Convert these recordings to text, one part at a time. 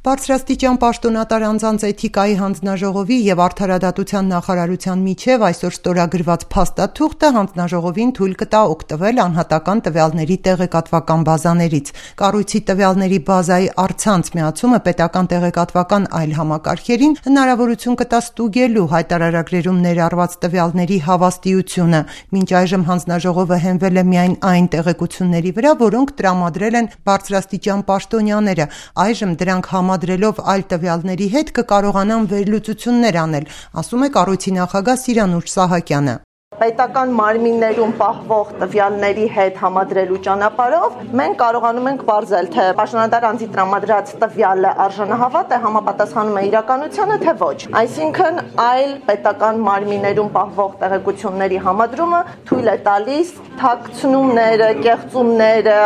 Բարձրաստիճան պաշտոնատար անձանց էթիկայի հանձնաժողովի և Արդարադատության նախարարության միջև այսօր ստորագրված փաստաթուղթը հանձնաժողովին թույլ կտա օգտվել անհատական տվյալների տեղեկատվական բազաներից։ Կառույցի տվյալների բազայի առցանց միացումը պետական տեղեկատվական այլ համակարգերին հնարավորություն կտա ստուգելու հայտարարագրերում ներառված տվյալների հավաստիությունը։ Մինչ այժմ հանձնաժողովը հենվել է միայն այն տեղեկությունների վրա, որոնք տրամադրել են բարձրաստիճան պաշտոնյաները։ Այժմ դրանք համադրելով այլ տվյալների հետ կկարողանան վերլուծություններ անել, ասում է կառույցի նախագահ Սիրանուշ Սահակյանը։ Պետական մարմիններում պահվող տվյալների հետ համադրելու ճանապարհով մենք կարողանում ենք ողջել, թե պաշտոնատար անձի տրամադրած տվյալը արժանահավատ է, համապատասխանում է իրականությանը, թե ոչ։ Այսինքն այլ պետական մարմիններում պահվող տեղեկությունների համադրումը թույլ է տալիս թաքցնումները, կեղծումները,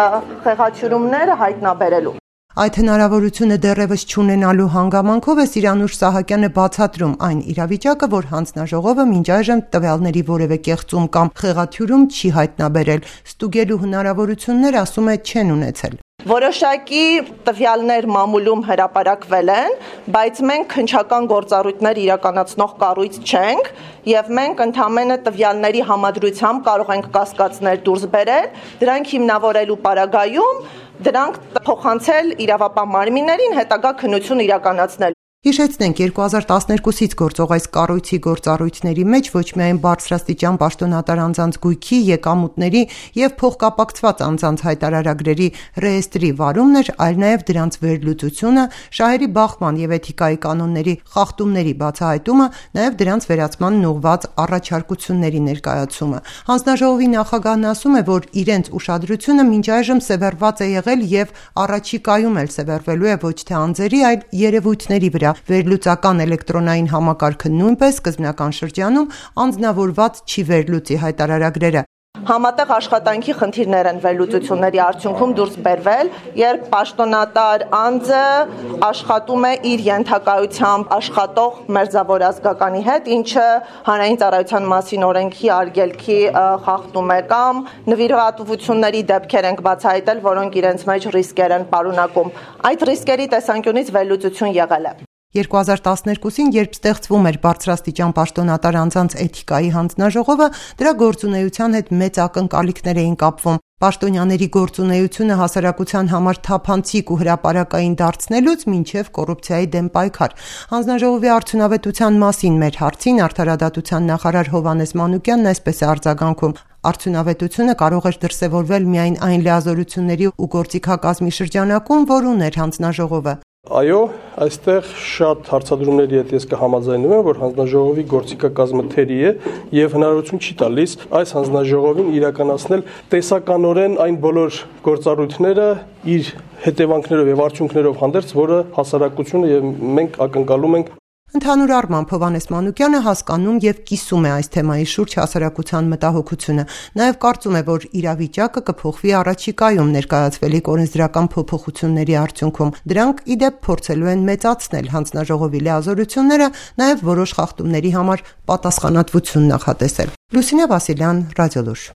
խեղաթյուրումները հայտնաբերելու։ Այդ հնարավորությունը դեռևս չունենալու հանգամանքով է Սիրանուշ Սահակյանը բացատրում այն իրավիճակը, որ հանձնաժողովը մինչ այժմ տվյալների որևէ կեղծում կամ խեղաթյուրում չի հայտնաբերել, ստուգելու հնարավորություններ, ասում է, չեն ունեցել։ Որոշակի տվյալներ մամուլում հրապարակվել են, բայց մենք քննչական գործառույթներ իրականացնող կառույց չենք եւ մենք ընդհանրապես տվյալների համադրությամբ կարող ենք կասկածներ դուրս բերել, դրանք հիմնավորելու պարագայում դրանք փոխանցել իրավապահ մարմիններին հետագա քննություն իրականացնել։ Հիշեցնենք, 2012-ից գործող այս կառույցի գործառույթների մեջ ոչ միայն բարձրաստիճան պաշտոնատար անձանց գույքի, եկամուտների և փոխկապակցված անձանց հայտարարագրերի ռեեստրի վարումն էր, այլ նաև դրանց վերլուծությունը, շահերի բախման և էթիկայի կանոնների խախտումների բացահայտումը, նաև դրանց վերացմանն ուղղված առաջարկությունների ներկայացումը։ Հանձնաժողովի նախագահն ասում է, որ իրենց ուշադրությունը մինչ այժմ սևեռված է եղել և առաջիկայում էլ սևեռվելու է ոչ թե անձերի, այլ երևույթների վրա։ Վերլուծական էլեկտրոնային համակարգը նույնպես սկզբնական շրջանում անձնավորված չի վերլուծի հայտարարագրերը։ Համատեղ աշխատանքի խնդիրներ են վերլուծությունների արդյունքում դուրս բերվել, երբ պաշտոնատար անձը աշխատում է իր ենթակայությամբ աշխատող մերձավոր ազգականի հետ, ինչը հանրային ծառայության մասին օրենքի արգելքի խախտում է, կամ նվիրատվությունների դեպքեր ենք բացահայտել, որոնք իրենց մեջ ռիսկեր են պարունակում։ Այդ ռիսկերի տեսանկյունից վերլուծություն եղել է։ 2012-ին, երբ ստեղծվում էր բարձրաստիճան պաշտոնատար անձանց էթիկայի հանձնաժողովը, դրա գործունեության հետ մեծ ակնկալիքներ էին կապվում։ Պաշտոնյաների գործունեությունը հասարակության համար թափանցիկ ու հրապարակային դարձնելուց մինչև կոռուպցիայի դեմ պայքար։ Հանձնաժողովի արդյունավետության մասին մեր հարցին Արդարադատության նախարար Հովհաննես Մանուկյանն այսպես է արձագանքում. Արդյունավետությունը կարող էր դրսևորվել միայն այն լիազորությունների ու գործիքակազմի շրջանակում, որ ուներ հանձնաժողովը։ Այո, այստեղ շատ հարցադրումների հետ ես կհամաձայնվեմ, որ հանձնաժողովի գործիքակազմը թերի է եւ հնարավորություն չի տալիս այս հանձնաժողովին իրականացնել տեսականորեն այն բոլոր գործառույթները իր հետևանքներով եւ արդյունքներով հանդերձ, որը հասարակությունը եւ մենք ակնկալում ենք։ Ընդհանուր առմամբ Հովհաննես Մանուկյանը հասկանում եւ կիսում է այս թեմայի շուրջ հասարակության մտահոգությունը։ Նաեւ կարծում է, որ իրավիճակը կփոխվի առաջիկայում ներկայացվելիք օրենսդրական փոփոխությունների արդյունքում։ Դրանք ի դեպ փորձելու են մեծացնել հանձնաժողովի լիազորությունները, նաեւ որոշ խախտումների համար պատասխանատվություն նախատեսել։ Լուսինե Վասիլյան, Ռադիոլուր։